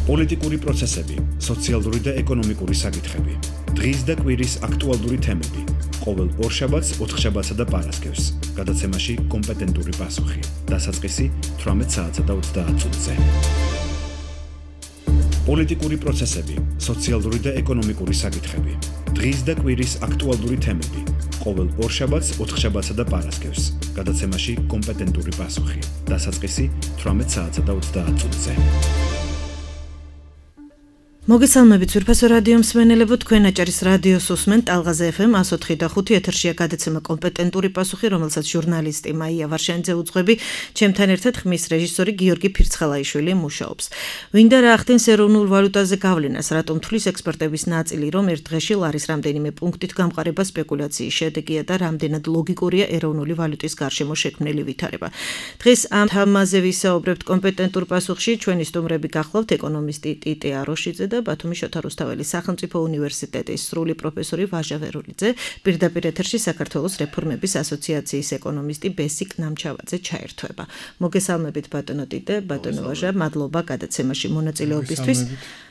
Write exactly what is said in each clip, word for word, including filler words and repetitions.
პოლიტიკური პროცესები, სოციალური და ეკონომიკური საკითხები, დღის და კვირის აქტუალური თემები, ყოველ ორშაბათს, ოთხშაბათსა და პარასკევს, გადაცემაში კომპეტენტური პასუხი, დასაწყისი თვრამეტ საათსა და ოცდაათ წუთზე. პოლიტიკური პროცესები, სოციალური და ეკონომიკური საკითხები, დღის და კვირის აქტუალური თემები, ყოველ ორშაბათს, ოთხშაბათსა და პარასკევს, გადაცემაში კომპეტენტური პასუხი, დასაწყისი თვრამეტ საათსა და ოცდაათ წუთზე. მოგესალმებით ძვირფასო რადიო მსმენელებო, თქვენ აჭარის რადიოს უსმენთ ტალღაზე ეფ ემ εκατო ოთხი და ხუთი ეთერშია გადაცემა კომპეტენტური პასუხი, რომელსაც ჟურნალისტი მაია ვარშანიძე უძღვები, ჩემთან ერთად ხმის რეჟისორი გიორგი ფირცხალაიშვილი მუშაობს. ვინდა რა ახდენს ეროვნულ ვალუტაზე გავლენას, რატომ თვლის ექსპერტების ნაწილი, რომ ერთ დღეში ლარის რამდენიმე პუნქტით გამყარება სპეკულაციის შედეგია და რამდენად ლოგიკურია ეროვნული ვალუტის გარშემო შექმნილი ვითარება. დღეს ამ თემაზე ვისაუბრებთ კომპეტენტურ პასუხში, ჩვენი სტუმრები გახლავთ ეკონომისტი ტიტე აროშიძე და ბათუმის შოთა რუსთაველის სახელმწიფო უნივერსიტეტის სრული პროფესორი ვაჟა ვერულიძე, პირდაპირ ეთერში საქართველოს რეფორმების ასოციაციის ეკონომისტი ბესიკ ნამჩავაძე ჩაერთვება. მოგესალმებით ბატონო ტიტე, ბატონო ვაჟა, მადლობა გადაცემაში მონაწილეობისთვის.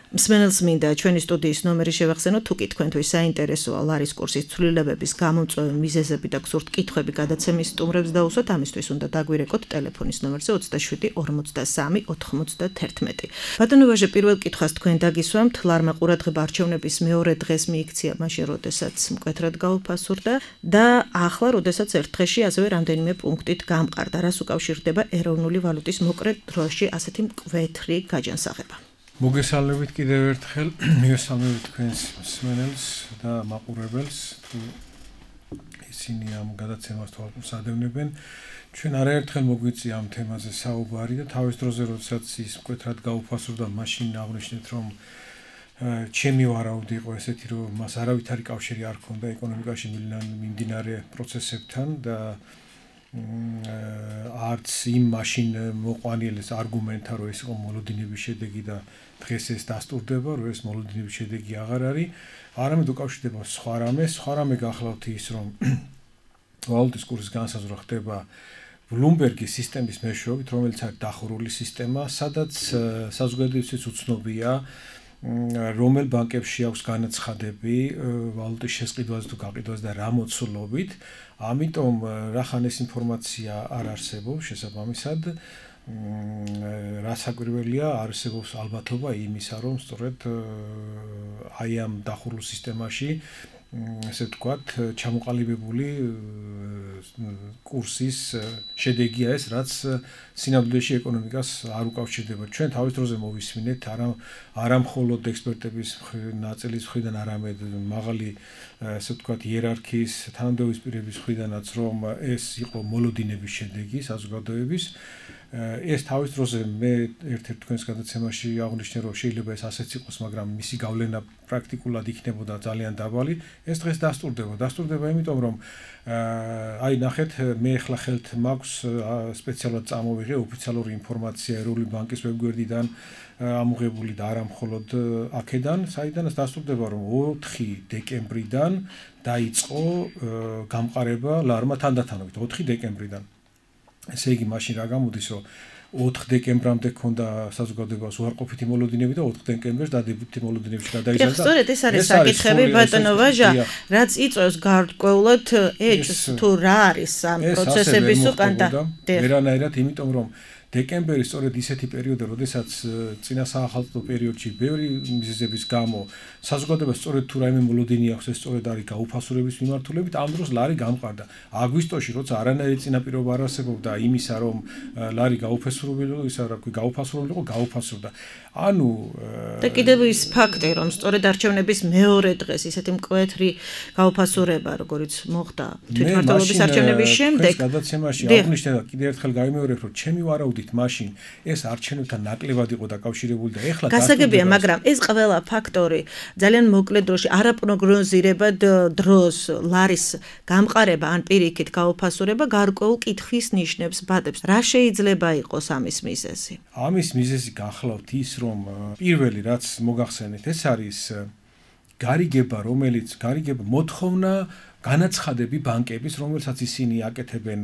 მსმენელს მინდა ჩვენი სტუდიის ნომერი შევახსენოთ, თუ კი თქვენთვის საინტერესოა ლარის კურსის ცვლილებების გამომწვევი მიზეზები და გსურთ კითხვები გადაცემის სტუმრებს დაუსვათ, ამისთვის უნდა დაგვირეკოთ ტელეფონის ნომერზე ოცდაშვიდი ორმოცდასამი ოთხმოცდაათერთმეტი. ბატონო ვაჟა, პირველ კითხვას თქვენ დაგისვამთ, ლარმა ყურადღება არჩევნების მეორე დღეს მიიქცია, მაშინ როდესაც მკვეთრად გაუფასურდა და ახლა როდესაც ერთ დღეში ასევე რამდენიმე პუნქტით გამყარდა. რას უკავშირდება ეროვნული ვალუტის მოკლე დროში ასეთი მკვეთრი გაჯანსაღება? მოგესალმებით კიდევ ერთხელ, მივესალმებით თქვენს მსმენელს და მაყურებელს, თუ ისინი ამ გადაცემას თვალყურს. ჩვენ არაერთხელ მოგვიწია ამ თემაზე საუბარი და თავის დროზე, როდესაც ის მკვეთრად გაუფასურდა, მაშინ აღნიშნეთ, რომ ჩემი ვარაუდი იყო ესეთი, რომ მას არავითარი კავშირი არ ჰქონდა ეკონომიკაში მიმდინარე პროცესებთან და არც იმ მაშინ მოყვანილეს არგუმენტა, რომ ეს იყო მოლოდინების შედეგი და დღეს ეს დასტურდება, რომ ეს მოლოდინების შედეგი აღარ არის, არამედ უკავშირდება სხვა რამე, სხვა რამე გახლავთ ის, რომ ვალუტის კურსის განსაზღვრა ხდება ბლუმბერგის სისტემის მეშვეობით, რომელიც არის დახურული სისტემა, სადაც საზოგადოებისთვის უცნობია, რომელ ბანკებში აქვს განაცხადები ვალუტის შესყიდვაზე თუ გაყიდვაზე და რა მოცულობით. ამიტომ რახან ეს ინფორმაცია არ არსებობს შესაბამისად, რასაკვირველია, არსებობს ალბათობა იმისა, რომ სწორედ აი ამ დახურულ სისტემაში ესე ვთქვათ, ჩამოყალიბებული კურსის შედეგია ეს, რაც სინამდვილეში ეკონომიკას არ უკავშირდება. ჩვენ თავის დროზე მოვისმინეთ, არა არა მხოლოდ ექსპერტების ნაწილის მხრიდან, არამედ მაღალი ესე ვთქვათ იერარქიის თანამდებობის პირების მხრიდანაც, რომ ეს იყო მოლოდინების შედეგი საზოგადოების. ეს თავის დროზე მე ერთ-ერთ თქვენს გადაცემაში აღნიშნე, რომ შეიძლება ეს ასეც იყოს, მაგრამ მისი გავლენა პრაქტიკულად იქნებოდა ძალიან დაბალი. ეს დღეს დასტურდება. დასტურდება იმიტომ, რომ აი ნახეთ, მე ახლა ხელთ მაქვს სპეციალურად წამოვიღე ოფიციალური ინფორმაცია ეროვნული ბანკის ვებგვერდიდან ამოღებული და არა მხოლოდ აქედან, საიდანაც დასტურდება, რომ ოთხი დეკემბრიდან დაიწყო გამყარება ლარმა თანდათანობით, ოთხი დეკემბრიდან. ესე იგი, მაშინ რა გამოდის, რომ ოთხ დეკემბრამდე ქონდა საზოგადოებას უარყოფითი მოლოდინები და ოთხ დეკემბერს დადებითი მოლოდინებში გადაიზარდა. სწორედ ეს არის საკითხები, ბატონო ვაჟა, რაც იწვევს გარკვეულად ეჭვს, თუ რა არის ამ პროცესების უკანდა. ვერანაირად, იმიტომ რომ დეკემბერი სწორედ ისეთი პერიოდია, როდესაც წინა საახალწლო პერიოდში ბევრი მიზეზების გამო საზოგადოებას სწორედ თუ რაიმე მოლოდინი აქვს, ეს სწორედ არის გაუფასურების მიმართულებით, ამ დროს ლარი გამყარდა. აგვისტოში, როცა არანაირი წინაპირობა არ არსებობდა იმისა, რომ ლარი გაუფასურებელიყო, ისა რა ქვია, გაუფასურებელიყო, გაუფასურდა. ანუ და კიდევ ის ფაქტი, რომ სწორედ არჩევნების მეორე დღეს ისეთი მკვეთრი გაუფასურება, როგორც მოხდა თვითმმართველობის არჩევნების შემდეგ, ეს გადაცემაში აღნიშნე და კიდევ ერთხელ გამიმეორებ, რომ ჩემი ვარაუდით მაშინ ეს არჩევნებთან ნაკლებად იყო დაკავშირებული და ეხლა გასაგებია, მაგრამ ეს ყველა ფაქტორი ძალიან მოკლე დროში არაპროგნოზირებად დროს ლარის გამყარება ან პირიქით გაუფასურება გარკვეულ კითხვის ნიშნებს ბადებს. რა შეიძლება იყოს ამის მიზეზი? ამის მიზეზი გახლავთ ის, რომ პირველი რაც მოგახსენეთ, ეს არის გარიგება, რომელიც გარიგება მოთხოვნა განაცხადები ბანკების, რომელსაც ისინი აკეთებენ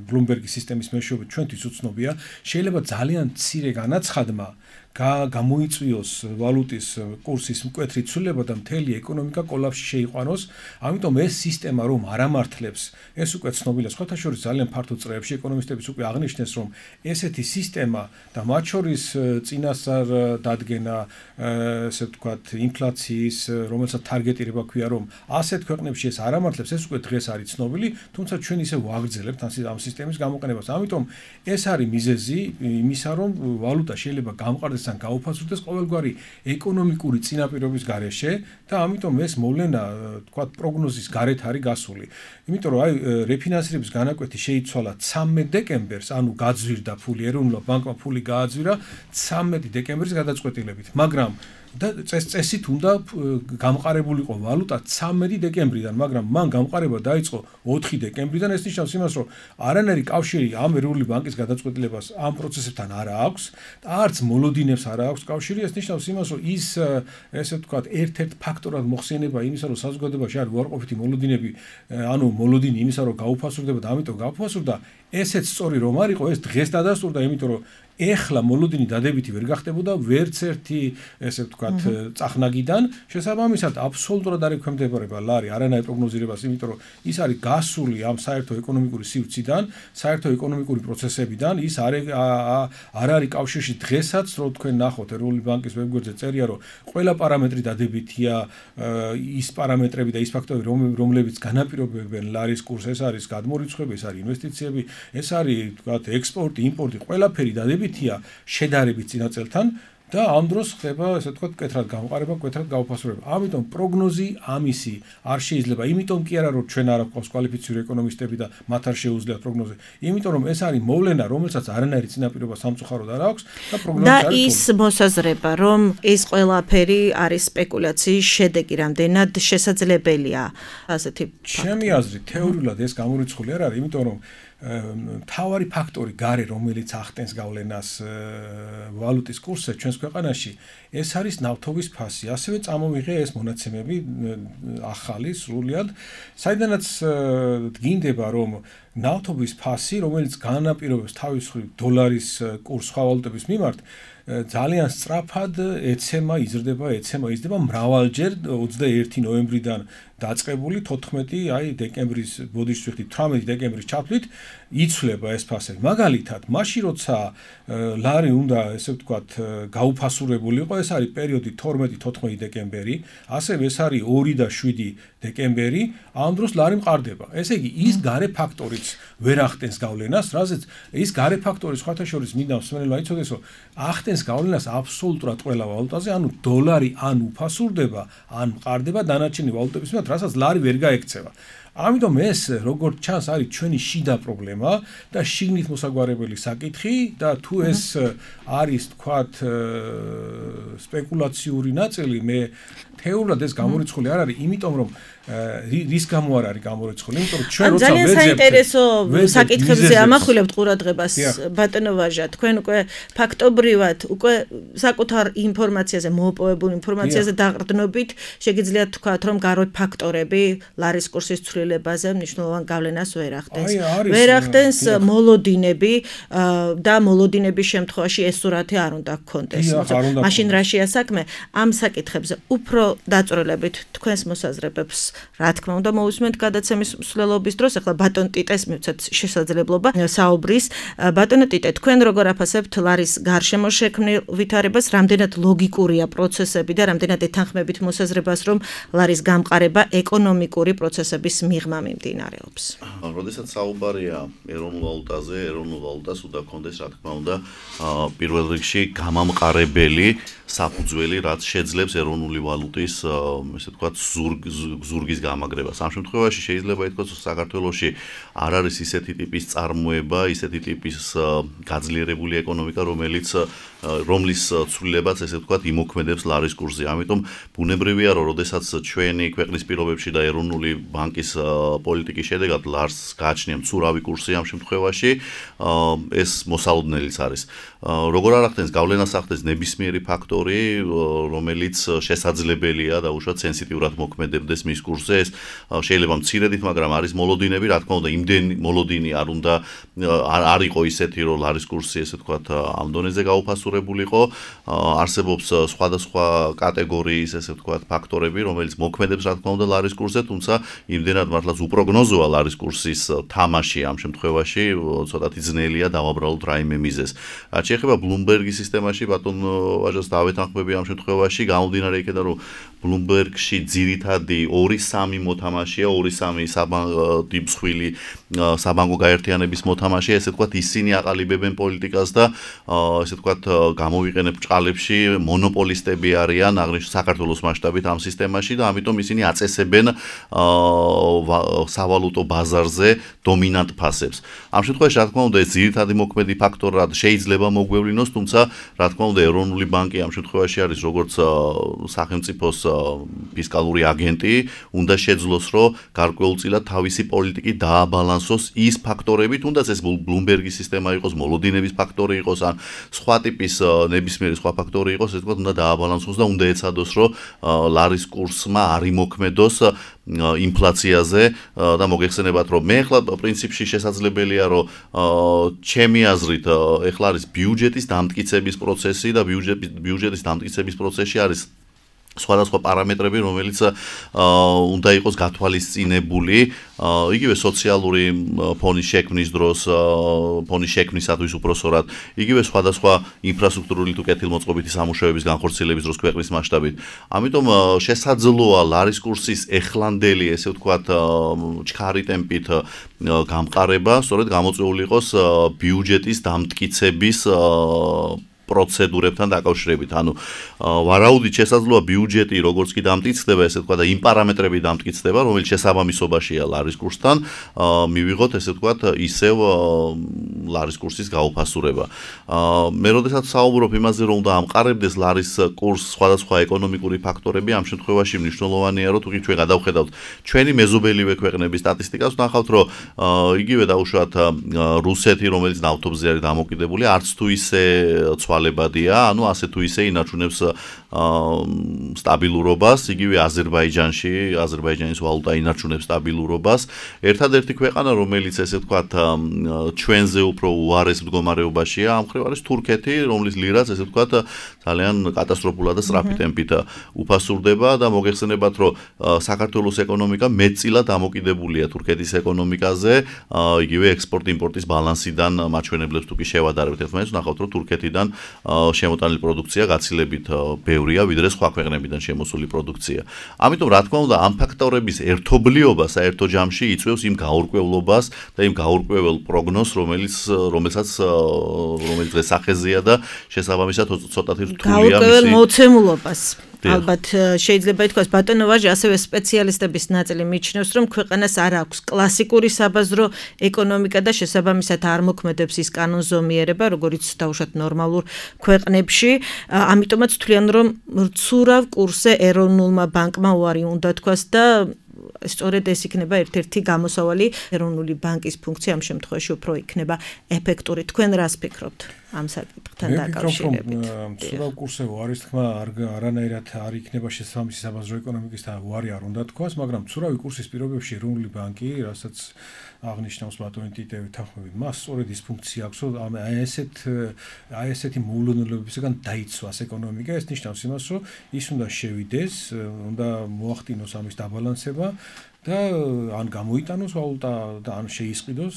Bloomberg-ის სისტემის მეშვეობით ჩვენთვის უცნობია, შეიძლება ძალიან მცირე განაცხადმა გამოიწვიოს ვალუტის კურსის მკვეთრი ცვლილება და მთელი ეკონომიკა კოლაფსში შეიყვანოს. ამიტომ ეს სისტემა რომ არ ამართლებს, ეს უკვე ცნობილია სხვათა შორის ძალიან ფართო წრეებში ეკონომისტებიც უკვე აღნიშნეს, რომ ესეთი სისტემა და მათ შორის წინასწარ დადგენა, ესე ვთქვათ, ინფლაციის, რომელსაც თარგეტირება ქვია, რომ ასეთ ქვეყნებში ეს არ ამართლებს, ეს უკვე დღეს არის ცნობილი, თუმცა ჩვენ ისე ვაგრძელებთ ამ სისტემის გამოყენებას. ამიტომ ეს არის მიზეზი იმისა, რომ ვალუტა შეიძლება გამყარდეს ან გაუფასურდეს ყოველგვარი ეკონომიკური წინაპირობის გარეშე და ამიტომ ეს მოვლენა, თქვათ, პროგნოზის გარეთ არის გასული. იმიტომ რომ აი რეფინანსირების განაკვეთი შეიცვალა ცამეტ დეკემბერს, ანუ გაძვირდა ფული, ეროვნულ ბანკმა ფული გააძვირა ცამეტი დეკემბრის გადაწყვეტილებით, მაგრამ და წესით უნდა გამყარებულიყო ვალუტა ცამეტი დეკემბრიდან, მაგრამ მან გამყარება დაიწყო ოთხი დეკემბრიდან. ეს ნიშნავს იმას, რომ არანაირი კავშირი ამ ეროვნული ბანკის გადაწყვეტილებას ამ პროცესებთან არ აქვს და არც მოლოდინებს არ აქვს კავშირი. ეს ნიშნავს იმას, რომ ის, ესე ვთქვათ, ერთ-ერთ ფაქტორად მოხსენება იმისა, რომ საზოგადოებაში არის უარყოფითი მოლოდინები, ანუ მოლოდინი იმისა, რომ გაუფასურდება და ამიტომ გაუფასურდა, ესეც სწორი რომ არისო, ეს დღეს დადასტურდა, იმიტომ რომ ეხლა მოლოდინი დადებითი ვერ გახდებოდა ვერც ერთი, ესე ვთქვათ, წახნაგიდან. შესაბამისად, აბსოლუტურად არ ექვემდებარება ლარი არანაირ პროგნოზირებას, იმიტომ რომ ის არის გასული ამ საერთო ეკონომიკური სივრციდან, საერთო ეკონომიკური პროცესებიდან, ის არ არ არის კავშირში დღესაც, რომ თქვენ ნახოთ ეროვნული ბანკის ვებგვერდზე წერია, რომ ყველა პარამეტრი დადებითია, ის პარამეტრები და ის ფაქტორები, რომლებიც განაპირობებენ ლარის კურსს, ეს არის გადმორიცხვები, ეს არის ინვესტიციები, ეს არის, ვთქვათ, ექსპორტი, იმპორტი, ყველაფერი დადებითია შედარებით წინა წელთან და ამ დროს ხდება, ესე ვთქვათ, მკვეთრად გამყარება, მკვეთრად გაუფასურება. ამიტომ პროგნოზი ამისი არ შეიძლება. იმიტომ კი არა, რომ ჩვენ არ აქვს კვალიფიციური ეკონომისტები და მათ არ შეუძლიათ პროგნოზი. იმიტომ რომ ეს არის მოვლენა, რომელსაც არანაირი წინაპირობა სამწუხაროდ არ აქვს და პროგნოზი არის. და ის მოსაზრება, რომ ეს ყველაფერი არის სპეკულაციის შედეგი, რამდენად შესაძლებელია ასეთი. ჩემი აზრით, თეორიულად ეს გამორიცხული არ არის, იმიტომ რომ მთავარი ფაქტორი გარე, რომელიც ახდენს გავლენას ვალუტის კურსზე ჩვენს ქვეყანაში, ეს არის ნავთობის ფასი. ასევე წამოვიღე ეს მონაცემები ახალი სრულიად, საიდანაც დგინდება, რომ ნავთობის ფასი, რომელიც განაპირობებს თავის მხრივ დოლარის კურსს სხვა ვალუტების მიმართ, ძალიან სწრაფად ეცემა, იზრდება, ეცემა, იზრდება მრავალჯერ ოცდაერთი ნოემბრიდან დაწყებული თოთხმეტი აი დეკემბრის ბოდიშს ვიხდით თვრამეტი დეკემბრის ჩათვლით იცვლება ეს ფასები. მაგალითად, მაშინ როცა ლარი უნდა, ესე ვთქვათ, გაუფასურებულიყო, ეს არის პერიოდი თორმეტი თოთხმეტი დეკემბერი, ასევე ეს არის ორი და შვიდი დეკემბერი, ამ დროს ლარი მყარდება. ესე იგი, ის გარე ფაქტორიც ვერ ახდენს გავლენას, რაზეც ის გარე ფაქტორი სხვათა შორის მინდა მსმენელმა იცოდეს, რომ ახდენს გავლენას აბსოლუტურად ყველა ვალუტაზე, ანუ დოლარი ან უფასურდება, ან მყარდება დანარჩენი ვალუტების მიმართ, რასაც ლარი ვერ გაექცევა. ამიტომ ეს, როგორც ჩანს, არის ჩვენი შიდა პრობლემა და შიგნით მოსაგვარებელი საკითხი და თუ ეს არის, თქვათ, სპეკულაციური ნაწილი, მე თეორიულად ეს გამორიცხული არ არის, იმიტომ რომ რის გამო არ არის გამორიცხული, იმიტომ რომ ჩვენ როცა ძალიან საინტერესო საკითხებზე ამახვილებთ ყურადღებას, ბატონო ვაჟა, თქვენ უკვე ფაქტობრივად, უკვე საკუთარ ინფორმაციაზე, მოპოვებულ ინფორმაციაზე დაყრდნობით, შეგიძლიათ თქვათ, რომ გარე ფაქტორები ლარის კურსის ცვლილებაზე მნიშვნელოვან გავლენას ვერ ახდენს. ვერ ახდენს მოლოდინები და მოლოდინების შემთხვევაში ეს სურათი არ უნდა გქონდეს. მაშინ რა შეა საქმე? ამ საკითხებზე უფრო დაწვრილებით თქვენს მოსაზრებებს რა თქმა უნდა მოვისმენთ გადაცემის მსვლელობის დროს. ახლა ბატონ ტიტეს მივცეთ შესაძლებლობა საუბრის. ბატონო ტიტე, თქვენ როგორ აფასებთ ლარის გარშემო შექმნილ ვითარებას, რამდენად ლოგიკურია პროცესები და რამდენად ეთანხმებით მოსაზრებას, რომ ლარის გამყარება ეკონომიკური პროცესების მიღმა მიმდინარეობს? როდესაც საუბარია ეროვნულ ვალუტაზე, ეროვნულ ვალუტას უნდა გქონდეს, რა თქმა უნდა, პირველ რიგში გამამყარებელი საფუძველი, რაც შეძლებს ეროვნული ვალუტის, ესე ვთქვათ, ზურგის გამაგრებას. ამ შემთხვევაში შეიძლება ითქვას, რომ საქართველოში არ არის ისეთი ტიპის წარმოება, ისეთი ტიპის გაძლიერებული ეკონომიკა, რომელიც რომლის ცვლილებაც ესე ვთქვათ იმოქმედებს ლარის კურსზე. ამიტომ ბუნებრივია რომ როდესაც ჩვენი ქვეყნის პირობებში და ეროვნული ბანკის პოლიტიკის შედეგად ლარს გააჩნია მცურავი კურსი ამ შემთხვევაში ეს მოსალოდნელიც არის. როგორ არ ახდენს გავლენას ახდენს ნებისმიერი ფაქტორი, რომელიც შესაძლებელია და უშუალოდ სენსიტიურად მოქმედებდეს მის კურსზე. ეს შეიძლება მცირედით, მაგრამ არის მოლოდინები, რა თქმა უნდა, იმდენი მოლოდინი არ უნდა არ იყო ისეთი, რომ ლარის კურსი ესე ვთქვათ ამ დონეზე გაუფასურებულიყო. არსებობს სხვადასხვა კატეგორიის ესე ვთქვათ ფაქტორები, რომელიც მოქმედებს რა თქმა უნდა ლარის კურსზე, თუმცა იმდენად მართლაც უპროგნოზოა ლარის კურსის თამაში ამ შემთხვევაში, ცოტათი ძნელია დავაბრალოთ რაიმე მიზეზს. რაც შეეხება ბლუმბერგის სისტემაში, ბატონ ვაჟას დავეთანხმები ამ შემთხვევაში, გამომდინარე იქიდან რომ ბლუმბერგში ძირითადი ორი სამი მოთამაშეა, ორი სამი საბანკო საბანკო გაერთიანების მოთამაშეა, ესე ვთქვათ, ისინი აყალიბებენ პოლიტიკას და ესე ვთქვათ, გამოვიყენებ ბრჭყალებში მონოპოლისტები არიან აღნიშნულ საქართველოს მასშტაბით ამ სისტემაში და ამიტომ ისინი აწესებენ სავალუტო ბაზარზე დომინანტ ფასებს. ამ შემთხვევაში, რა თქმა უნდა, ეს ძირითადი მოქმედი ფაქტორად შეიძლება მოგვევლინოს, თუმცა, რა თქმა უნდა, ეროვნული ბანკი ამ შემთხვევაში არის როგორც სახელმწიფოს ფისკალური აგენტი, უნდა შეძლოს, რომ გარკვეულწილად თავისი პოლიტიკი დააბალანსოს ის ფაქტორები, თუნდაც ეს ბლუმბერგის სისტემა იყოს, მოლოდინების ფაქტორი იყოს, ან სხვა ტიპის ნებისმიერი სხვა ფაქტორი იყოს, ესე ვთქვათ, უნდა დააბალანსოს და უნდა ეცადოს, რომ ლარის კურსმა არ იმოქმედოს ინფლაციაზე და მოგეხსენებათ, რომ მე ახლა პრინციპში შესაძლებელია, რომ ჩემი აზრით ახლა არის ბიუჯეტის დამტკიცების პროცესი და ბიუჯეტის დამტკიცების პროცესში არის სხვადასხვა პარამეტრები, რომელიც უნდა იყოს გათვალისწინებული, იგივე სოციალური ფონის შექმნის დროს, ფონის შექმნისათვის უпроსორად, იგივე სხვადასხვა ინფრასტრუქტურული თუ კეთილმოწყობითი სამუშაოების განხორციელების დროს ქვეყნის მასშტაბით. ამიტომ შესაძლოა ლარის კურსის ეხლანდელი, ესე ვთქვათ, ჩქარი ტემპით გამყარება, სწორედ გამოწვეული იყოს ბიუჯეტის დამტკიცების პროცედურებთან დაკავშირებით. ანუ ვარაუდით შესაძლოა ბიუჯეტი როგორც კი დამტკიცდება, ესე ვთქვათ, და იმ პარამეტრები დამტკიცდება, რომელიც შესაბამისობაშია ლარის კურსთან, მივიღოთ ესე ვთქვათ, ისევ ლარის კურსის გაუფასურება. მე როდესაც საუბრობ იმაზე, რომ უნდა ამყარებდეს ლარის კურსს სხვადასხვა ეკონომიკური ფაქტორები, ამ შემთხვევაში მნიშვნელოვანია, რომ თუკი ჩვენ გადავხედავთ ჩვენი მეზობელივე ქვეყნების სტატისტიკას, ვნახავთ, რომ იგივე დაუშვათ რუსეთი, რომელიც ნავთობზე არის დამოკიდებული, არც თუ ისე ცვალებადია, ანუ ასე თუ ისე ინარჩუნებს სტაბილურობას, იგივე აზერბაიჯანში, აზერბაიჯანის ვალუტა ინარჩუნებს სტაბილურობას. ერთადერთი ქვეყანა, რომელიც ესე ვთქვათ, ჩვენზე უფრო უარეს მდგომარეობაშია, ამ მხრივ არის თურქეთი, რომლის ლირაც ესე ვთქვათ, ძალიან კატასტროფულად და სწრაფი ტემპით უფასურდება და მოგეხსენებათ, რომ საქართველოს ეკონომიკა მეტწილად დამოკიდებულია თურქეთის ეკონომიკაზე, იგივე ექსპორტ-იმპორტის ბალანსიდან მაჩვენებლებს თუ კი შევადარებთ ერთმანეთს, ვნახავთ, რომ თურქეთიდან შემოტანილი პროდუქცია გაცილებით ბევრია, ვიდრე სხვა ქვეყნებიდან შემოსული პროდუქცია. ამიტომ, რა თქმა უნდა, ამ ფაქტორების ერთობლიობა საერთო ჯამში იწვევს იმ გაურკვევლობას და იმ გაურკვევლ პროგნოზს, რომელიც რომელსაც რომელიც დღეს სახეზეა და შესაბამისად ცოტათი რთულია მისი გაურკვევლ მოცემულობას. ალბათ შეიძლება ითქვას, ბატონო ვაჟი, ასევე სპეციალისტების ნაწილი მიჩნევს, რომ ქვეყანას არ აქვს კლასიკური საბაზრო ეკონომიკა და შესაბამისად არ მოქმედებს ის კანონზომიერება, როგორიც დაუშვათ ნორმალურ ქვეყნებში. ამიტომაც თვლიან, რომ მცურავ კურსზე ეროვნულმა ბანკმა უარი უნდა თქვას და სწორედ ეს იქნება ერთ-ერთი გამოსავალი, ეროვნული ბანკის ფუნქცია ამ შემთხვევაში უფრო იქნება ეფექტური. თქვენ რას ფიქრობთ ამ საკითხთან დაკავშირებით? მცურავ კურსზე უარის თქმა არანაირად არ იქნება შესაბამისი საბაზრო ეკონომიკის და უარი არ უნდა თქვას, მაგრამ მცურავი კურსის პირობებში ეროვნული ბანკი, რასაც აღნიშნავს ბატონი ტიტევი თანხმობით, მას სწორედ ის ფუნქცია აქვს, რომ აი ესეთ აი ესეთი მოულოდნელებებისგან დაიცვას ეკონომიკა. ეს ნიშნავს იმას, რომ ის უნდა შევიდეს, უნდა მოახდინოს ამის დაბალანსება და ან გამოიტანოს ვალუტა და ან შეისყიდოს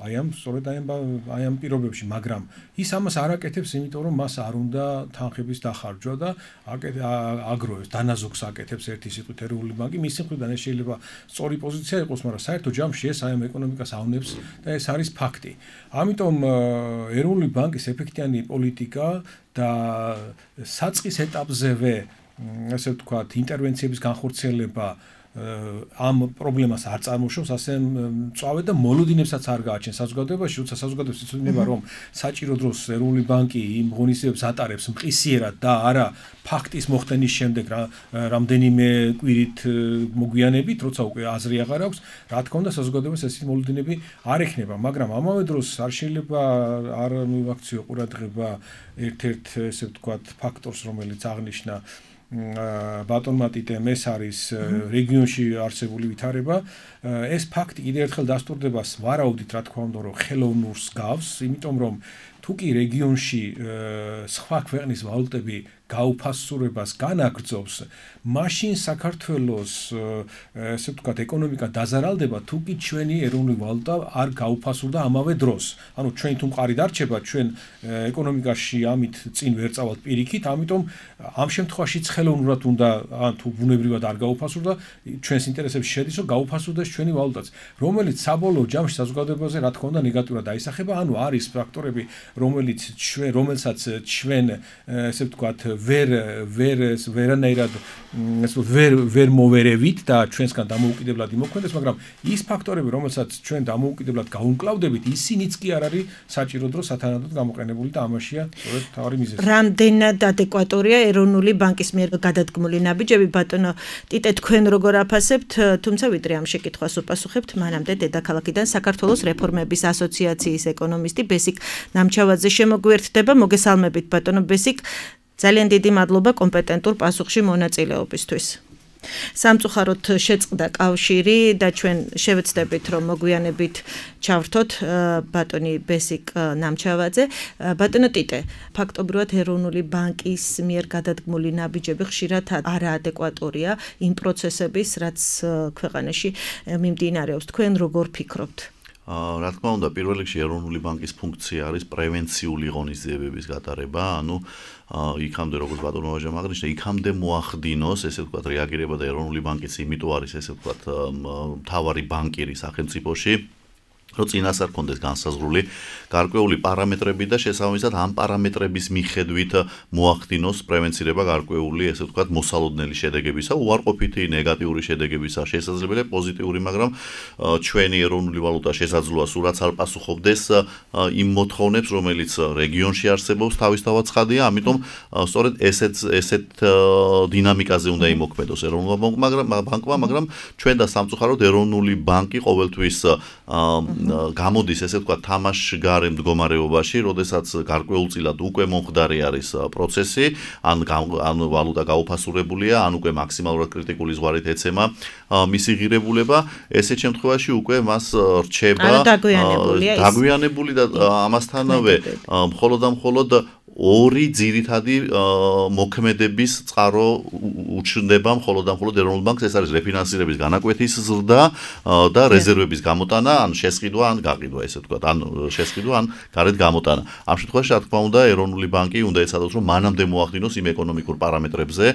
აი ამ სწორედ აი ამ აი ამ პირობებში, მაგრამ ის ამას არ აკეთებს, იმიტომ რომ მას არ უნდა თანხების დახარჯვა და აგროვებს, დანაზოგს აკეთებს ერთი სიტყვით ეროვნული ბანკი. მისი მხრიდან ეს შეიძლება სწორი პოზიცია იყოს, მაგრამ საერთო ჯამში ეს აი ამ ეკონომიკას ავნებს და ეს არის ფაქტი. ამიტომ ეროვნული ბანკის ეფექტიანი პოლიტიკა და საწყის ეტაპზევე, ასე ვთქვათ, ინტერვენციების განხორციელება ამ პრობლემას არ წარმოშობს, ასე მწვავედ და მოლოდინებსაც არ გააჩენს საზოგადოებაში, როცა საზოგადოებას იცოდება, რომ საჭირო დროს ეროვნული ბანკი იმ ღონისძიებებს ატარებს მყისიერად და არა ფაქტის მოხდენის შემდეგ რამდენიმე კვირით მოგვიანებით, როცა უკვე აზრი აღარ აქვს, რა თქმა უნდა საზოგადოებას ესეთი მოლოდინები არ ექნება, მაგრამ ამავე დროს არ შეიძლება არ მივაქციო ყურადღება ერთ-ერთ ესე ვთქვათ ფაქტორს, რომელიც აღნიშნა ბატონმა ტიტემ, ეს არის რეგიონში არსებული ვითარება. ეს ფაქტი კიდევ ერთხელ დასტურდება, ვარაუდით რა თქმა უნდა, რომ ხელოვნურს გავს, იმიტომ რომ თუ კი რეგიონში სხვა ქვეყნის ვალუტები გაუფასურებას განაგრძობს, მაშინ საქართველოს ესე ვთქვათ ეკონომიკა დაზარალდება, თუ კი ჩვენი ეროვნული ვალუტა არ გაუფასურდა ამავე დროს. ანუ ჩვენ თუ მყარი დარჩება, ჩვენ ეკონომიკაში ამით წინ ვერ წავალთ პირიქით, ამიტომ ამ შემთხვევაშიც ხელოვნურად უნდა ან თუ ბუნებრივად არ გაუფასურდა, ჩვენს ინტერესებში შედის, რომ გაუფასურდეს ჩვენი ვალუტაც, რომელიც საბოლოო ჯამში საზოგადოებაზე რა თქმა უნდა ნეგატიურად აისახება, ანუ არის ფაქტორები, რომელიც ჩვენ რომელსაც ჩვენ ესე ვთქვათ ვერ ვერ ვერანაირად ეს ვერ ვერ მოვერევით და ჩვენსგან დამოუკიდებლად იმოქმედებს, მაგრამ ის ფაქტორები, რომელსაც ჩვენ დამოუკიდებლად გაუმკლავდებით, ისინიც კი არ არის საჭირო დრო სათანადოდ გამოყენებული და ამაშია სწორედ თავი მიზეზი. რამდენად ადეკვატორია ეროვნული ბანკის მიერ გადადგმული ნაბიჯები, ბატონო ტიტე, თქვენ როგორ აფასებთ, თუმცა ვიდრე ამ შეკითხვას უპასუხებთ, მანამდე დედაქალაქიდან საქართველოს რეფორმების ასოციაციის ეკონომისტი ბესიკ ნამჩავაძე შემოგვიერთდება. მოგესალმებით ბატონო ბესიკ. ძალიან დიდი მადლობა კომპეტენტურ პასუხში მონაწილეობისთვის. სამწუხაროდ შეწყდა კავშირი და ჩვენ შევეცდებით, რომ მოგვიანებით ჩავრთოთ ბატონი ბესიკ ნამჩავაძე. ბატონო ტიტე, ფაქტობრივად ეროვნული ბანკის მიერ გადადგმული ნაბიჯები ხშირად არაადეკვატურია იმ პროცესების, რაც ქვეყანაში მიმდინარეობს. თქვენ როგორ ფიქრობთ? რა თქმა უნდა, პირველ რიგში ეროვნული ბანკის ფუნქცია არის პრევენციული ღონისძიებების გატარება, ანუ იქამდე როგორც ბატონო ვაჟამ აღნიშნა, იქამდე მოახდინოს, ესე ვთქვათ, რეაგირება და ეროვნული ბანკიც იმიტომ არის, ესე ვთქვათ, მთავარი ბანკირი სახელმწიფოში, რომ წინასწარ კონდეს განსაზღვრული გარკვეული პარამეტრები და შესაბამისად ამ პარამეტრების მიხედვით მოახდინოს პრევენცირება გარკვეული, ესე ვთქვათ, მოსალოდნელი შედეგებისა, უარყოფითი ნეგატიური შედეგებისა, შესაძლებელია პოზიტიური, მაგრამ ჩვენი ეროვნული ვალუტა შესაძლოა სულაც არ პასუხობდეს იმ მოთხოვნებს, რომელიც რეგიონში არსებობს, თავისთავად ცხადია, ამიტომ სწორედ ესეთ ესეთ დინამიკაზე უნდა იმოქმედოს ეროვნულმა ბანკმა, მაგრამ ჩვენ და სამწუხაროდ ეროვნული ბანკი ყოველთვის გამოდის, ესე ვთქვათ, თამაშგარე მდგომარეობაში, როდესაც გარკვეულწილად უკვე მომხდარი არის პროცესი, ან ან ვალუტა გაუფასურებულია, ან უკვე მაქსიმალურად კრიტიკული ზღვარით ეცემა მისი ღირებულება, ესეთ შემთხვევაში უკვე მას რჩება დაგვიანებული და ამასთანავე მხოლოდ და მხოლოდ ორი ძირითადი მოქმედების წყარო უჩნდება მხოლოდ და მხოლოდ ეროვნულ ბანკს, ეს არის რეფინანსირების განაკვეთის ზრდა და რეზერვების გამოტანა, ან შესყიდვა, ან გაყიდვა, ესე ვთქვათ, ან შესყიდვა, ან გარეთ გამოტანა. ამ შემთხვევაში, რა თქმა უნდა, ეროვნული ბანკი უნდა ეცადოს, რომ მანამდე მოახდინოს იმ ეკონომიკურ პარამეტრებზე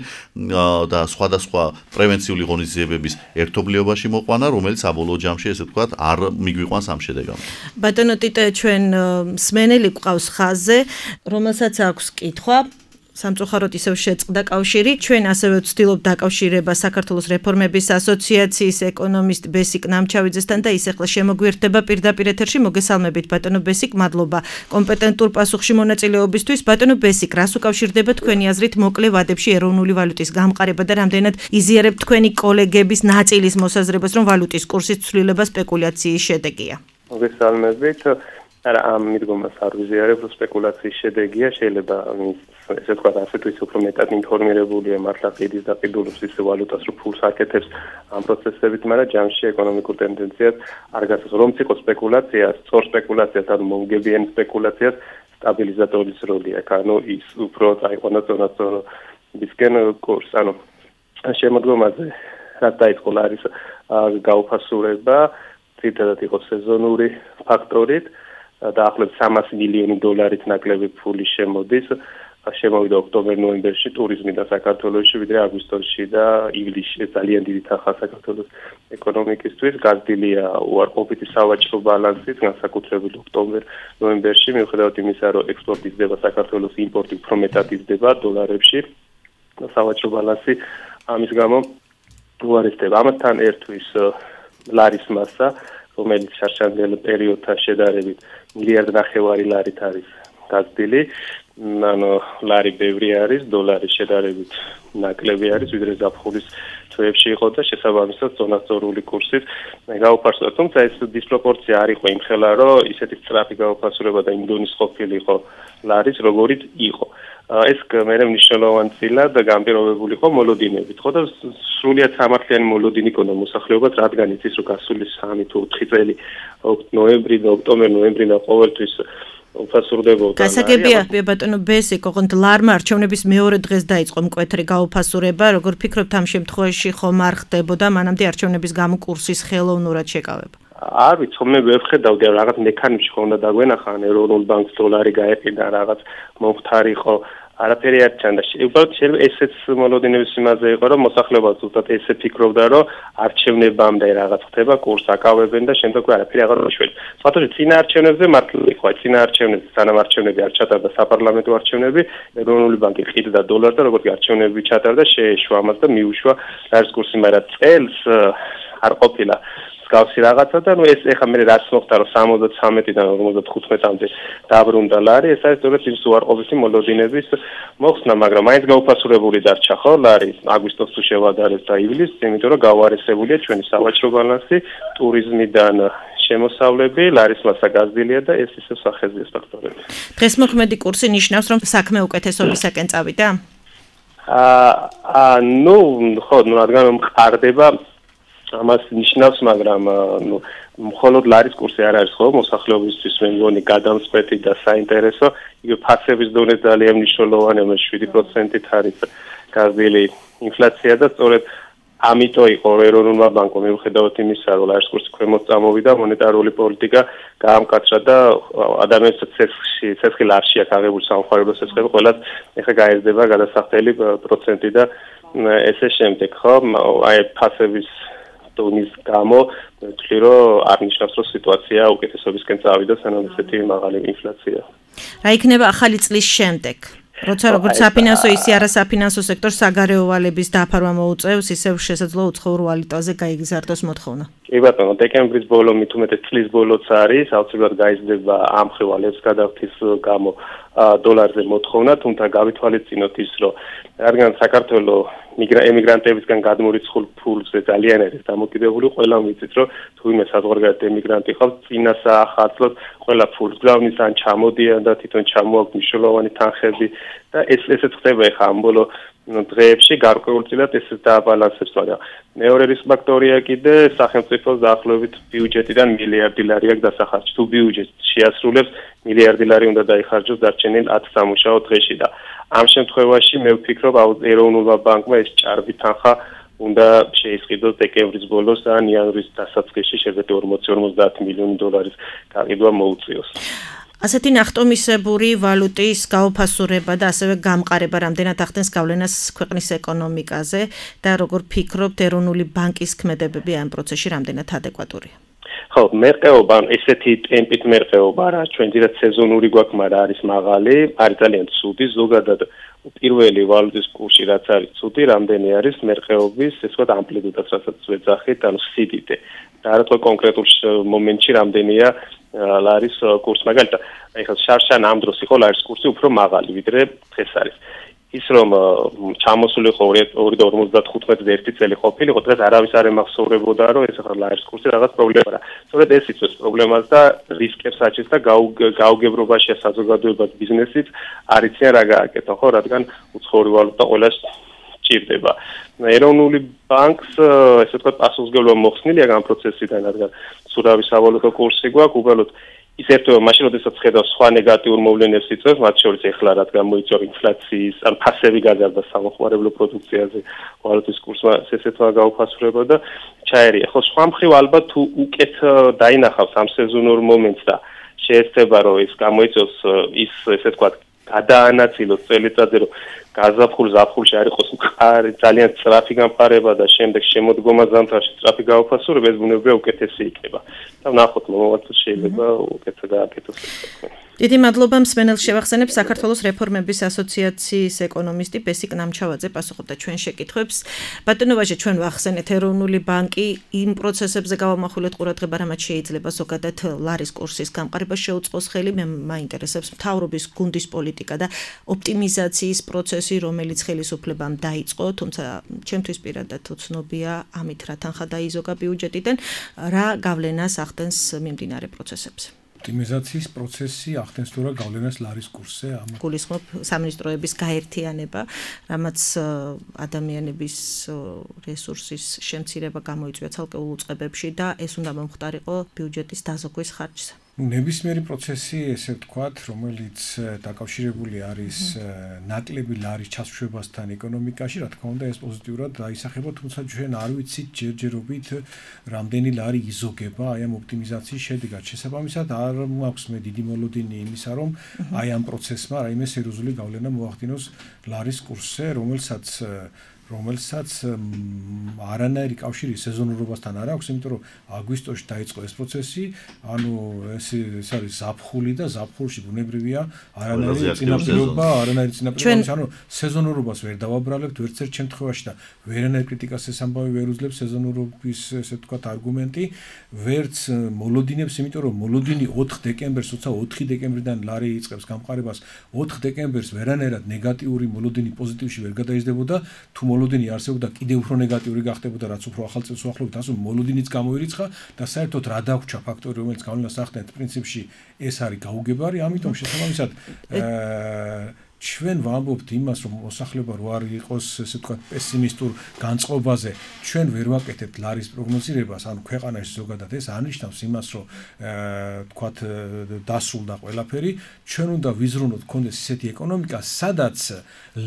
და სხვადასხვა პრევენციული ღონისძიებების ერთობლიობაში მოყვანა, რომელიც საბოლოო ჯამში, ესე ვთქვათ, არ მიგვიყვანს ამ შედეგამდე. ბატონო ტიტე, ჩვენ მსმენელი გვყავს ხაზზე, რომელსაც აქვს კითხვა, სამწუხაროდ ისევ შეწყდა კავშირი. ჩვენ ასევე ვცდილობთ დაკავშირება საქართველოს რეფორმების ასოციაციის ეკონომისტ ბესიკ ნამჩავიძესთან და ის ახლა შემოგვიერთდება პირდაპირ ეთერში. მოგესალმებით ბატონო ბესიკ, მადლობა კომპეტენტურ პასუხში მონაწილეობისთვის. ბატონო ბესიკ, რას უკავშირდება თქვენი აზრით მოკლე ვადებში ეროვნული ვალუტის გამყარება და რამდენად იზიარებთ თქვენი კოლეგების ნაწილის მოსაზრებას, რომ ვალუტის კურსის ცვლილება სპეკულაციის შედეგია? მოგესალმებით. არა, ამ მიდგომას არ ვიზიარებ, რომ სპეკულაციის შედეგია, შეიძლება ესე ვთქვათ, ასეთ ის უფრო მეტად ინფორმირებულია, მართლა ყიდის და ყიდულობს ის ვალუტას, რომ ფულს აკეთებს ამ პროცესებით, მაგრამ ჯამში ეკონომიკურ ტენდენციას არ გასცემს. რომც იყოს სპეკულაცია, სწორ სპეკულაციას, ანუ მომგებიანი სპეკულაციას, სტაბილიზატორის როლი აქვს, ანუ ის უფრო წაიყვანოს ზონასწორობისკენ კურსს, ანუ შემოდგომაზე რაც დაიწყო არის გაუფასურება, თითქოს იყო სეზონური ფაქტორით, დაახლოებით სამას მილიონი დოლარით ნაკლები ფული შემოდის, შემოვიდა ოქტომბერ-ნოემბერში ტურიზმიდან საქართველოში, ვიდრე აგვისტოში და ივლისში. ძალიან დიდი თანხა საქართველოს ეკონომიკისთვის, გაზრდილია უარყოფითი სავაჭრო ბალანსით, განსაკუთრებით ოქტომბერ-ნოემბერში, მიუხედავად იმისა, რომ ექსპორტი იზრდება, საქართველოს იმპორტი უფრო მეტად იზრდება დოლარებში, სავაჭრო ბალანსი ამის გამო უარესდება. ამასთან ერთვის ლარის მასა, რომელიც შარშანდელ პერიოდთან შედარებით მილიარდ ნახევარი ლარით არის გაზრდილი, ანუ ლარი ბევრი არის, დოლარი შედარებით ნაკლები არის, ვიდრე ზაფხულის თვეებში იყო და შესაბამისად ზონასწორული კურსით გაუფასურდა. თუმცა ეს დისპროპორცია არ იყო იმხელა, რომ ისეთი სწრაფი გაუფასურება და იმ დონის ყოფილიყო ლარის, როგორიც იყო. ეს მე მნიშვნელოვანი წილად განპირობებული იყო მოლოდინებით, ხო და სრულიად სამართლიანი მოლოდინი ქონდა მოსახლეობას, რადგან იცის რომ გასული სამი თუ ოთხი წელი ნოემბრი და ოქტომბერი ნოემბრი და ყოველთვის უფასურდებოდა. გასაგებია ბატონო ბესიკ, ოღონდ ლარმა არჩევნების მეორე დღეს დაიწყო მკვეთრი გაუფასურება, როგორ ფიქრობთ ამ შემთხვევაში ხომ არ ხდებოდა მანამდე არჩევნების გამო კურსის ხელოვნურად შეკავება? არ ვიცი, მე ვერ ხედავდი რაღაც მექანიზმი ხონდა დაგვენახა, ეროვნულ ბანკს დოლარი გაეყიდა, რაღაც მომხდარიყო, არაფერი არ ჩანდა. უბრალოდ შეიძლება ესეც მოლოდინების იმაზე იყო, რომ მოსახლეობა ზუსტად ესე ფიქრობდა, რომ არჩევნებამდე რაღაც ხდება, კურს აკავებენ და შემდეგ არაფერი აღარ მოშველა. ფაქტობრივად წინა არჩევნებზე მართლა იყო, წინა არჩევნებზე სანამ არჩევნები არ ჩატარდა საპარლამენტო არჩევნები, ეროვნული ბანკი ყიდდა დოლარს და როგორც არჩევნები ჩატარდა, შეეშვა ამას და მიუშვა ლარის კურსი, მაგრამ წელს არ ყოფილა გავსი რაღაცა და ნუ ეს ეხა მე რაც მოხდა რომ სამოცდათრამეტიდან ორმოცდათხუთმეტამდე დაბრუნდა ლარი, ეს არის სწორედ ის უარყოფითი მოლოდინების მოხსნა, მაგრამ მაინც გაუფასურებული დარჩა ხო ლარი აგვისტოს თუ შევადარეს და ივლისს, იმიტომ რომ გავარესებულია ჩვენი სავაჭრო ბალანსი, ტურიზმიდან შემოსავლები, ლარის მასა გაზრდილია და ეს ისევ სახეზია ფაქტორები. დღეს მოქმედი კურსი ნიშნავს რომ საქმე უკეთესობისაკენ წავიდა? აა ნუ ხო, ნუ რადგან მყარდება ამას ნიშნავს, მაგრამ ნუ მხოლოდ ლარის კურსი არ არის ხო მოსახლეობისთვის მე მგონი გადამწყვეტი და საინტერესო, იგივე ფასების დონე ძალიან მნიშვნელოვანია, შვიდი პროცენტით არის გაზრდილი ინფლაცია და სწორედ ამიტომ იყო ეროვნულმა ბანკმა მიუხედავად იმისა, რომ ლარის კურსი ქვემოთ წამოვიდა, მონეტარული პოლიტიკა გაამკაცრა და ადამიანის ცეცხლში, ცეცხლი ლარში აქვს აღებული სამხარებლო ცეცხლები, ყველას ეხა გაიზრდება გადასახდელი პროცენტი და ესე შემდეგ, ხო? აი ფასების დონის გამო ვთვლი რომ არ ნიშნავს რომ სიტუაცია უკეთესობისკენ წავიდა სანამ ესეთი მაღალი ინფლაცია. რა იქნება ახალი წლის შემდეგ? როცა როგორც საფინანსო ისე არასაფინანსო სექტორს საგარეო ვალების დაფარვა მოუწევს, ისევ შესაძლოა უცხოურ ვალუტაზე გაიგზავნოს მოთხოვნა. კი ბატონო, დეკემბრის ბოლო მით უმეტეს წლის ბოლოც არის, აუცილებლად გაიზრდება ამ ვალების გადახდის გამო დოლარზე მოთხოვნა, თუმცა გავითვალისწინოთ ის, რომ რადგან საქართველოს ემიგრანტებისგან გადმორიცხულ ფულზე ძალიან არის დამოკიდებული, ყველა ვიცით, რომ თუ ვინმე საზღვარგარეთ ემიგრანტი ხავს, წინასა ახალწლად ყველა ფულს გზავნის ან ჩამოდიან და თვითონ ჩამოაქვს მნიშვნელოვანი თანხები და ეს ესეც ხდება ეხა ამ ბოლო დღეებში გარკვეულწილად ეს დააბალანსებს, მაგრამ მეორე რისკ ფაქტორია კიდე სახელმწიფოს დაახლოებით ბიუჯეტიდან მილიარდი ლარი აქვს დასახარჯი. თუ ბიუჯეტი შეასრულებს, მილიარდი ლარი უნდა დაიხარჯოს დარჩენილ ათ სამუშაო დღეში და ამ შემთხვევაში მე ვფიქრობ ეროვნულმა ბანკმა ეს ჭარბი თანხა უნდა შეისყიდოს დეკემბრის ბოლოს ან იანვრის დასაწყისში შეგვიძლია ორმოცი ორმოცდაათი მილიონი დოლარის გაყიდვა მოუწიოს. ასეთი ნახტომისებური ვალუტის გაუფასურება და ასევე გამყარება რამდენად ახდენს გავლენას ქვეყნის ეკონომიკაზე და როგორ ფიქრობთ ეროვნული ბანკის ქმედებები ამ პროცესში რამდენად ადეკვატურია? ხო, მერყეობა, ესეთი ტემპით მერყეობა რა, ჩვენ ძირად სეზონური გვაქვს, მაგრამ არის მაღალი, არის ძალიან ცუდი, ზოგადად პირველი ვალუტის კურსი რაც არის ცუდი, რამდენი არის მერყეობის, ესე ვთქვათ, ამპლიტუდაც რასაც ვეძახით, ანუ სიდიდე. და რა თქმა კონკრეტულ მომენტში რამდენია ლარის კურსი, მაგალითად, ეხლა შარშან ამ დროს იყო ლარის კურსი უფრო მაღალი, ვიდრე დღეს არის. ის რომ ჩამოსული ხო ორი და ორმოცდათხუთმეტზე ერთი წელი ყოფილიყო, დღეს არავის არ ემახსოვრებოდა, რომ ეს ახლა ლარის კურსი რაღაც პრობლემაა. სწორედ ეს იწვევს პრობლემას და რისკებს აჩენს და გაუგებრობაში საზოგადოებას ბიზნესიც არ იციან რა გააკეთო, ხო, რადგან უცხოური ვალუტა ყველას ჭირდება. ეროვნული ბანკს ესე ვთქვათ პასუხისმგებლობა მოხსნილია ამ პროცესიდან, რადგან სურავი სავალუტო კურსი გვაქვს, უბრალოდ ის ერთობა მაშინ როდესაც ხედავს სხვა ნეგატიურ მოვლენებს იწვევს, მათ შორის ეხლა რადგან მოიწვა ინფლაციის, ან ფასები გაზარდა სამოხმარებლო პროდუქციაზე, ვალუტის კურსმა ესეთმა გაუფასურება და ჩაერია. ხო, სხვა მხრივ ალბათ თუ უკეთ დაინახავს ამ სეზონურ მომენტს და შეეცდება რომ ის გამოიწვევს ის ესე ვთქვათ გადაანაწილოს წელიწადზე, რომ გაზაფხულ ზაფხულში არ იყოს მყარი ძალიან სწრაფი გამყარება და შემდეგ შემოდგომა ზამთარში სწრაფი გაუფასურება ეს ბუნებრივია უკეთესი იქნება და ვნახოთ მომავალში შეიძლება უკეთესად გააკეთოს ეს საქმე. დიდი მადლობა მსმენელს შევახსენებ საქართველოს რეფორმების ასოციაციის ეკონომისტი ბესიკ ნამჩავაძე პასუხობდა ჩვენ შეკითხვებს. ბატონო ვაჟე, ჩვენ ვახსენეთ ეროვნული ბანკი იმ პროცესებზე გავამახვილეთ ყურადღება, რამაც შეიძლება ზოგადად ლარის კურსის გამყარება შეუწყოს ხელი. მე მაინტერესებს მთავრობის გუნდის პოლიტიკა და ოპტიმიზაციის პროცესი, რომელიც ხელისუფლებამ დაიწყო, თუმცა ჩემთვის პირადად უცნობია ამით რა თანხა დაიზოგა ბიუჯეტიდან, რა გავლენას ახდენს მიმდინარე პროცესებზე. ოპტიმიზაციის პროცესი ახდენს თუ რა გავლენას ლარის კურსზე ამ გულისხმობ სამინისტროების გაერთიანება, რამაც ადამიანების რესურსის შემცირება გამოიწვია ცალკეულ უწყებებში და ეს უნდა მომხდარიყო ბიუჯეტის დაზოგვის ხარჯზე. ნებისმიერი პროცესი, ესე ვთქვათ, რომელიც დაკავშირებული არის ნაკლები ლარის ჩასვებასთან ეკონომიკაში, რა თქმა უნდა, ეს პოზიტიურად დაისახება, თუმცა ჩვენ არ ვიცით ჯერჯერობით რამდენი ლარი იზოგება აი ამ ოპტიმიზაციის შედეგად. შესაბამისად, არ მაქვს მე დიდი მოლოდინი იმისა, რომ აი ამ პროცესმა რაიმე სერიოზული გავლენა მოახდინოს ლარის კურსზე, რომელსაც რომელსაც არანაირი კავშირი სეზონურობასთან არ აქვს, იმიტომ რომ აგვისტოში დაიწყო ეს პროცესი, ანუ ეს ეს არის ზაფხული და ზაფხულში ბუნებრივია არანაირი წინაპირობა, არანაირი წინაპირობა, ანუ სეზონურობას ვერ დავაბრალებთ ვერც ერთ შემთხვევაში და ვერანაირ კრიტიკას ეს ამბავი ვერ უძლებს სეზონურობის, ესე ვთქვათ, არგუმენტი, ვერც მოლოდინებს, იმიტომ რომ მოლოდინი ოთხ დეკემბერს, თუმცა ოთხი დეკემბრიდან ლარი იწყებს გამყარებას, ოთხ დეკემბერს ვერანაირად ნეგატიური მოლოდინი პოზიტივში ვერ გადაიზრდებოდა, თუ მოლოდინი არსებობდა კიდევ უფრო ნეგატიური გახდებოდა, რაც უფრო ახალ წელს უახლოვთ, ასე მოლოდინიც გამოირიცხა და საერთოდ რა დაგვრჩა ფაქტორი, რომელიც გავლენას ახდენს პრინციპში ეს არის გაუგებარი, ამიტომ შესაბამისად ჩვენ ვამბობთ იმას, რომ მოსახლეობა რო არ იყოს, ესე ვთქვათ, პესიმისტურ განწყობაზე, ჩვენ ვერ ვაკეთებთ ლარის პროგნოზირებას, ანუ ქვეყანაში ზოგადად ეს არნიშნავს იმას, რომ ვთქვათ, დასრულდა ყველაფერი, ჩვენ უნდა ვიზრუნოთ, გქონდეს ისეთი ეკონომიკა, სადაც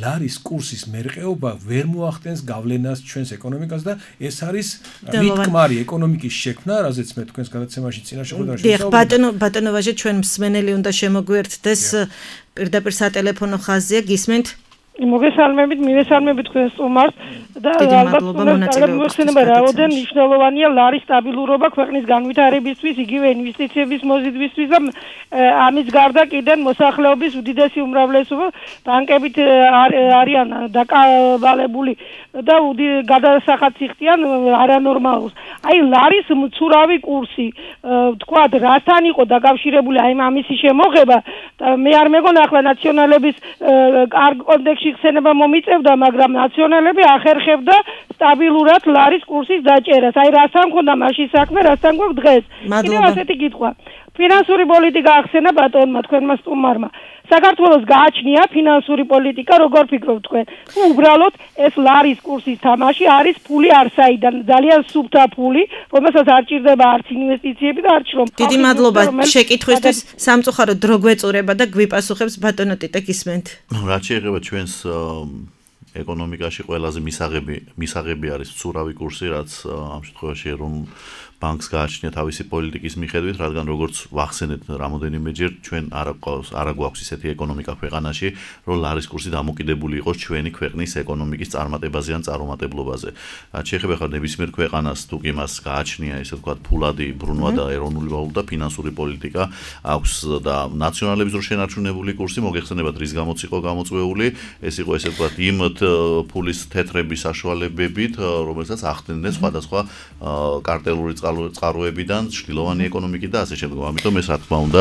ლარის კურსის მერყეობა ვერ მოახდენს გავლენას ჩვენს ეკონომიკას და ეს არის რიტმარი ეკონომიკის შექმნა, რაზეც მე თქვენს გადაცემაში წინაშე ხედავდი. დიახ, ბატონო, ბატონო ვაჟე, ჩვენ მსმენელი უნდა შემოგვიერთდეს პირდაპირ სატელეფონო ხაზია, გისმენთ? მოგესალმებით, მივესალმებით თქვენს სტუმარს და ალბათ მოხსენება რაოდენ მნიშვნელოვანია ლარის სტაბილურობა ქვეყნის განვითარებისთვის, იგივე ინვესტიციების მოზიდვისთვის და ამის გარდა კიდევ მოსახლეობის უდიდესი უმრავლესობა ბანკებით არიან დაკავალებული და გადასახადს იხდიან არანორმალურს. აი ლარის მცურავი კურსი, ვთქვათ, რასთან იყო დაკავშირებული აი ამისი შემოღება და მე არ მეგონა ახლა ნაციონალების კარგ კონტექსტში ხსენება მომიწევდა, მაგრამ ნაციონალები ახერხებდა სტაბილურად ლარის კურსის დაჭერას. აი რასთან მქონდა მაშინ საქმე, რასთან გვაქვს დღეს. კიდევ ასეთი კითხვა. ფინანსური პოლიტიკა ახსენა ბატონმა თქვენმა სტუმარმა. საქართველოს გააჩნია ფინანსური პოლიტიკა, როგორ ფიქრობთ თქვენ? უბრალოდ ეს ლარის კურსის თამაში არის ფული არსაიდან, ძალიან სუფთა ფული, რომელსაც არ ჭირდება არც ინვესტიციები და არც შრომ. დიდი მადლობა შეკითხვისთვის, სამწუხაროდ დრო გვეწურება და გვიპასუხებს ბატონო ტიტე გისმენთ. რაც შეეხება ჩვენს ეკონომიკაში ყველაზე მისაღები მისაღები არის მცურავი კურსი, რაც ამ შემთხვევაში ეროვნულ ბანკს გააჩნია თავისი პოლიტიკის მიხედვით, რადგან როგორც ვახსენეთ რამოდენიმეჯერ, ჩვენ არ გვაქვს არ გვაქვს ისეთი ეკონომიკა ქვეყანაში, რომ ლარის კურსი დამოკიდებული იყოს ჩვენი ქვეყნის ეკონომიკის წარმატებაზე ან წარუმატებლობაზე. რაც შეეხება ხარ ნებისმიერ ქვეყანას, თუ კი მას გააჩნია, ესე ვთქვათ, ფულადი ბრუნვა და ეროვნული ვალუტა, ფინანსური პოლიტიკა აქვს და ნაციონალების დრო შენარჩუნებული კურსი, მოგეხსენებათ, რის გამოც იყო გამოწვეული, ეს იყო ესე ვთქვათ, იმ ფულის თეთრების საშუალებებით, რომელსაც ახდენდნენ სხვადასხვა კარტელური წყაროებიდან, შილოვანი ეკონომიკით და ასე შემდეგ. ამიტომ ეს რა თქმა უნდა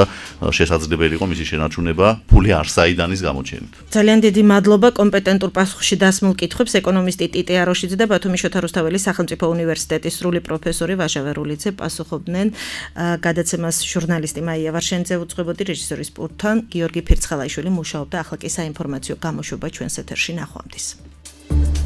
შესაძლებელი იყო მისი შენარჩუნება ფული არსაიდანის გამოჩენით. ძალიან დიდი მადლობა კომპეტენტურ პასუხში დასმულ კითხვებს ეკონომისტი ტიტე აროშიძე და ბათუმის შოთა რუსთაველის სახელმწიფო უნივერსიტეტის სრული პროფესორი ვაჟა ვერულიძე პასუხობდნენ. გადაცემას ჟურნალისტი მაია ვარშენიძე უძღვებოდი, რეჟისორის პულტთან გიორგი ფირცხალაიშვილი მუშაობდა. ახლა კი საინფორმაციო გამოშვება ჩვენს ეთერში ნახვამდის.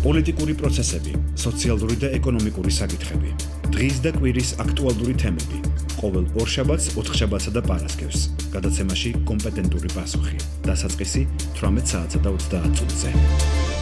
პოლიტიკური პროცესები, სოციალური და ეკონომიკური საკითხები. დღის და კვირის აქტუალური თემები. ყოველ ორშაბათს, ოთხშაბათსა და პარასკევს. გადაცემაში კომპეტენტური პასუხი. დასაწყისი თვრამეტ საათსა და ოცდაათ წუთზე.